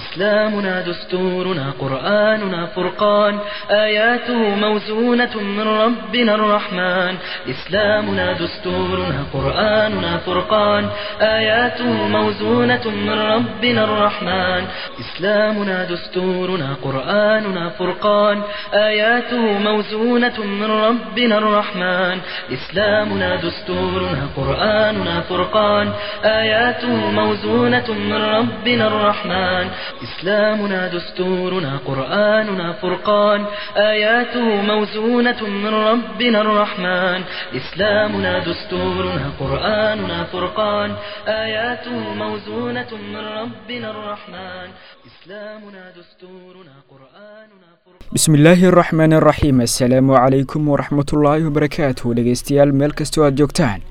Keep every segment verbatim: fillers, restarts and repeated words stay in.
إسلامنا دستورنا قرآننا فرقان آياته موزونة من ربنا الرحمن إسلامنا دستورنا قرآننا فرقان آياته موزونة من ربنا الرحمن إسلامنا دستورنا قرآننا فرقان آياته موزونة من ربنا الرحمن إسلامنا دستورنا قرآننا فرقان آياته موزونة من ربنا الرحمن إسلامنا دستورنا قرآننا فرقان آياته موزونة من ربنا الرحمن إسلامنا دستورنا قرآننا فرقان آياته موزونة من ربنا الرحمن إسلامنا دستورنا قرآننا فرقان. Bismillaahi araxmaani araxiim. Assalaamu calaykum waraxmatullaahi wabarakaatuh. Dhegeystayaal, meel kastoo aad joogtaan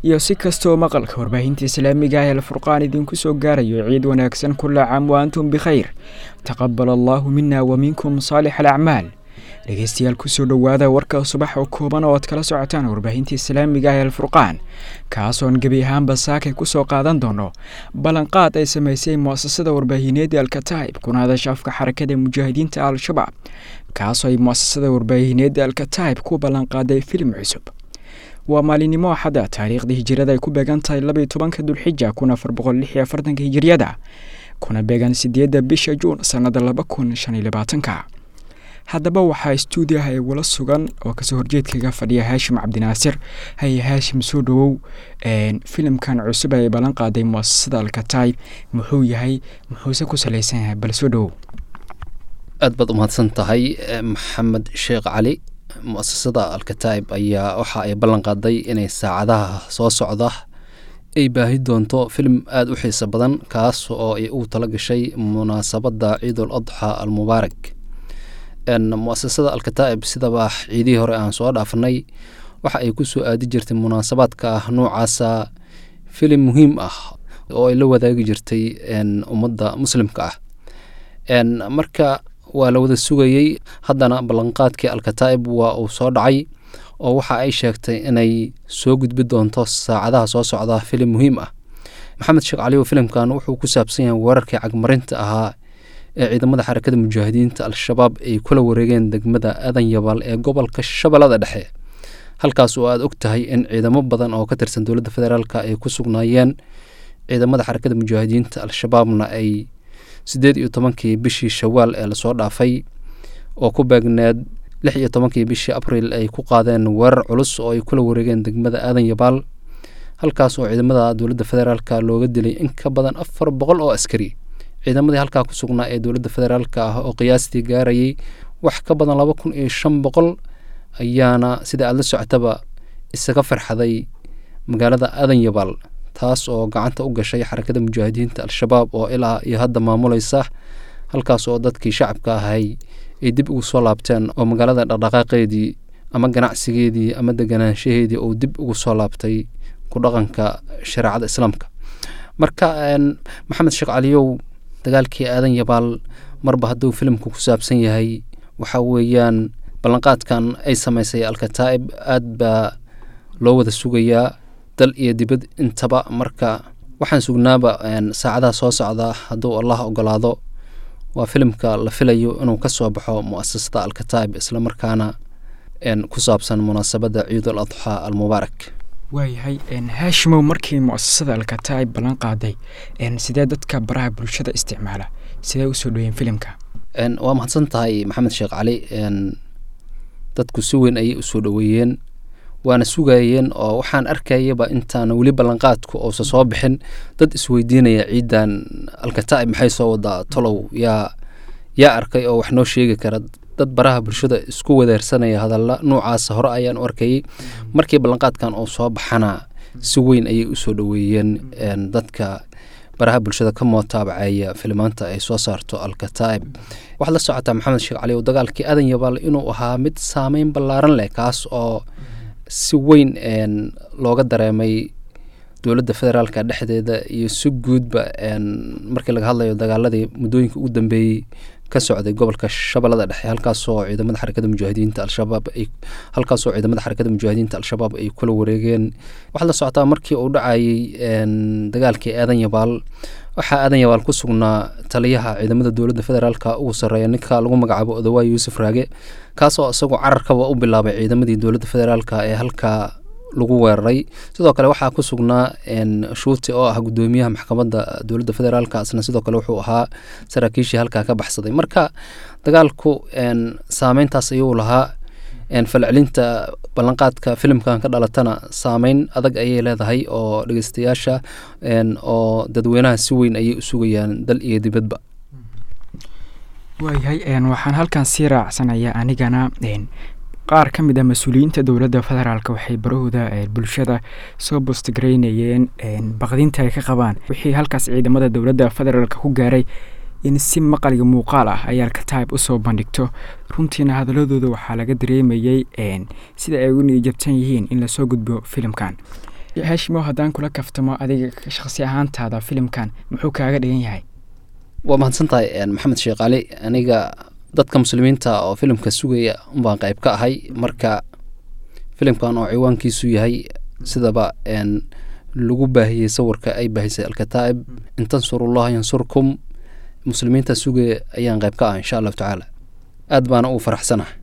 iyo si kastoo maqalka warbaahinta islaamiga ah ee Alfurqaan idinku soo gaarayo, ciid wanaagsan. كل عام وأنتم بخير، تقبل الله منا ومنكم صالح الأعمال. Dhegeystayaal, kusoo dhowaada warka subax oo kooban oo aad kala socotaan warbaahinta islaamiga ah ee Alfurqaan, kaasoon gebi ahaanba saakay kusoo qaadan doono ballanqaad ay samaysay muasasada warbaahineed ee Alkataib, kuna hadasha afka Xarakada Mujaahidiinta Al-Shabaab, kaasoo ay muasasada warbaahineed ee Alkataib ku ballanqaaday filim cusub. Waa maalinimo Axada, taariikhda hijirada ay ku beegan tahay laba iyo tobanka Dulxija kun afar boqol lix iyo afartanka hijiriyada, kuna beegan sideedda bisha Juun sanada laba kun shan iyo labaatanka. Haddaba waxaa stuudiyaha igula sugan oo kasoo horjeedkaga fadhiya Haashim Cabdinaasir. Haye Haashim, soo dhawow. Filimkan cusub ay ballan qaaday muasasada Alkataib muxuu yahay, muxuuse ku salaysan yahay? Bal soo dhawow. Aad baad umahadsan tahay, Maxamed Sheekh Cali. Muasasada Alkataib ayaa waxa ay ballan qaaday inay saacadaha soo socda ay baahi doonto filim aada u xiiso badan, kaas oo ay ugu tala gashay munaasabadda Ciidul Adxa Almubaarak. Muasasada Alkataa'ib, sidaba ciidihii hore aan soo dhaafnay, waxa ay ku soo aadi jirtay munaasabaadka ah noocaasa filim muhiim ah oo ay la wadaagi jirtay ummadda muslimka ah. Marka waa la wada sugayey, haddana ballanqaadkii Alkataa'ib waa uu soo dhacay oo waxa ay sheegtay inay soo gudbi doonto saacadaha soo socda filim muhiim ah. Maxamed Sheekh Cali, filimkan wuxuu ku saabsan yahay weerarkii cagmarinta ahaa ee ciidamada Xarakada Mujaahidiinta Al-Shabaab ay kula wareegeen degmada Aadan Yabaal ee gobolka Shabeellada Dhexe, halkaas oo aad og tahay in ciidamo badan oo ka tirsan dowladda federaalka ay ku sugnaayeen, ciidamada Xarakada Mujaahidiinta Al-Shabaabna ay siddeed iyo tobankii bishii Shawaal ee lasoo dhaafay oo ku beegneed lix iyo tobankii bishii Abriil ay ku qaadeen weerar culus oo ay kula wareegeen degmada Aadan Yabaal, halkaas oo ciidamada dowladda federaalka looga dilay in ka badan afar boqol oo askari. Ciidamadii halkaa ku sugnaa ee dowladda federaalka ah oo qiyaastii gaarayay wax ka badan laba kun iyo shan boqol ayaana, sida aada la socotaba, isaga farxaday magaalada Aadan Yabaal, taas oo gacanta u gashay Xarakada Mujaahidiinta Al-Shabaab oo ilaa iyo hadda maamulaysa, halkaas oo dadkii shacabka ahay ay dib ugu soo laabteen oo magaalada dhaqdhaqaaqeedii ama ganacsigeedii ama deganaanshaheedii uu dib ugu soo laabtay ku dhaqanka shareecada islaamka. Marka, Maxamed Sheekh Caliyow, dagaalkii Aadan Yabaal marba hadduu filimku ku saabsan yahay, waxa weeyaan ballanqaadkan ay samaysay Alkataa'ib aad baa loo wada sugayaa dal iyo dibad intaba. Marka waxaan sugnaaba saacadaha soo socda, hadduu Allah ogolaado, waa filimka la filayo inuu ka soo baxo muasasada Alkataa'ib, islamarkaana ku saabsan munaasabadda Ciidul Adxaa Almubaarak. Waayahay Haashimow, markii muasasada Alkataa'ib ballan qaaday, sidee dadka baraha bulshada isticmaala sidee usoo dhaweyen filimka? Waa mahadsan tahay, Maxamed Sheekh Cali. Dadku si weyn ayay usoo dhoweeyeen, waana sugayeen, oo waxaan arkayaba intaana weli ballanqaadku uusa soo bixin dad isweydiinaya ciidan Alkataa'ib maxay soo wadaa, tolow yaa yaa arkay oo wax noo sheegi kara? Dad baraha bulshada isku wadeersanaya hadalla noocaasa hore ayaan u arkayay. Markii ballanqaadkan uu soo baxana si weyn ayay usoo dhoweeyeen dadka baraha bulshada ka mootaabaceeya filimaanta ay soo saarto Alkataa'ib. Waxaad la socotaa, Maxamed Sheekh Cali, oo dagaalkii Aadan Yabaal inuu ahaa mid saameyn ballaaran leh, kaas oo si weyn looga dareemay Dowladda federaalka dhexdeeda iyo si guudba markii laga hadlayo dagaaladii muddooyinka ugu dambeeyey ka socday gobolka Shabeellada Dhexe, halkaasoo ciidamada Xarakada Mujaahidiinta Al-Shabaab ay halkaasoo ciidamada Xarakada Mujaahidiinta Al-Shabaab ay kula wareegeen. Waxaad la socotaa markii uu dhacayay dagaalkii Aadan Yabaal, waxaa Aadan Yabaal ku sugnaa taliyaha ciidamada dowladda federaalka ugu sarreeya, ninka lagu magacaabo Odawaay Yuusuf Raage, kaasoo isagu cararkaba u bilaabay ciidamadii dowladda federaalka ee halkaa lagu weeraray. Sidoo kale waxaa ku sugnaa Shuuti oo ah guddoomiyaha maxkamadda dowladda federaalka, isna sidoo kale wuxuu ahaa saraakiishii halkaa ka baxsaday. Marka dagaalku saameyntaas ayuu lahaa, falcelinta ballanqaadka filimkan ka dhalatana saameyn adag ayay leedahay oo dhegeystayaasha oo dadweynaha si weyn ayay u sugayaan dal iyo dibadba. Waayahay, waxaan halkan sii raacsanayaa anigana qaar ka mid ah mas-uuliyiinta dowladda federaalk waxay barahooda bulshada soo bostgareynayeen baqdinta ay ka qabaan wixii halkaas ciidamada dowladda federaalk ku gaaray in si maqal iyo muuqaal ah ay Alkataib usoo bandhigto. Runtiina hadaladooda waxaa laga dareemayey sida ay ugu niyajabsan yihiin in lasoo gudbo filimkan. Hashimo, haddaan kula kaftamo, adiga shaqsi ahaantaada filimkan muxuu kaaga dhigan yahay? Waa mahadsan tahay, Maxamed Sheekh Cali. Aniga dadka muslimiinta oo filimka sugaya unbaan qayb ka ahay. Marka filimkan oo ciwaankiisu yahay sidaba lagu baahiyey sawirka ay baahisay Alkataa'ib, "In tansurullaha yansurkum", muslimiinta sugaya ayaan qayb ka ah, insha Allahu tacaala, aad baana ugu faraxsanahay.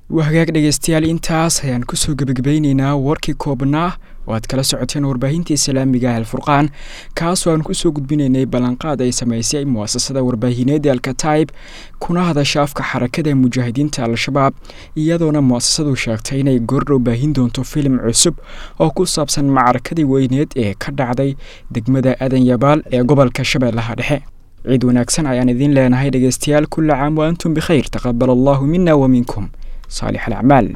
Waa hagaag dhegeystayaal, intaas ayaan kusoo gebagabeyneynaa warkii koobnaa oo aad kala socoteen warbaahinta islaamiga ah Alfurqaan, kaasoo aan kusoo gudbinaynay ballanqaad ay samaysay muasasada warbaahineed ee Alkataib kuna hadasha afka Xarakada Mujaahidiinta Al-Shabaab, iyadoona muasasadu sheegtay inay goordhow baahin doonto filim cusub oo ku saabsan macrakadii weyneed ee ka dhacday degmada Aadan Yabaal ee gobolka Shabeellaha Dhexe. Ciid wanaagsan ayaan idiin leenahay dhegeystayaal. Kulla caam wa antum bikhayr, taqabal Allahu mina wa minkum saalix alacmaal.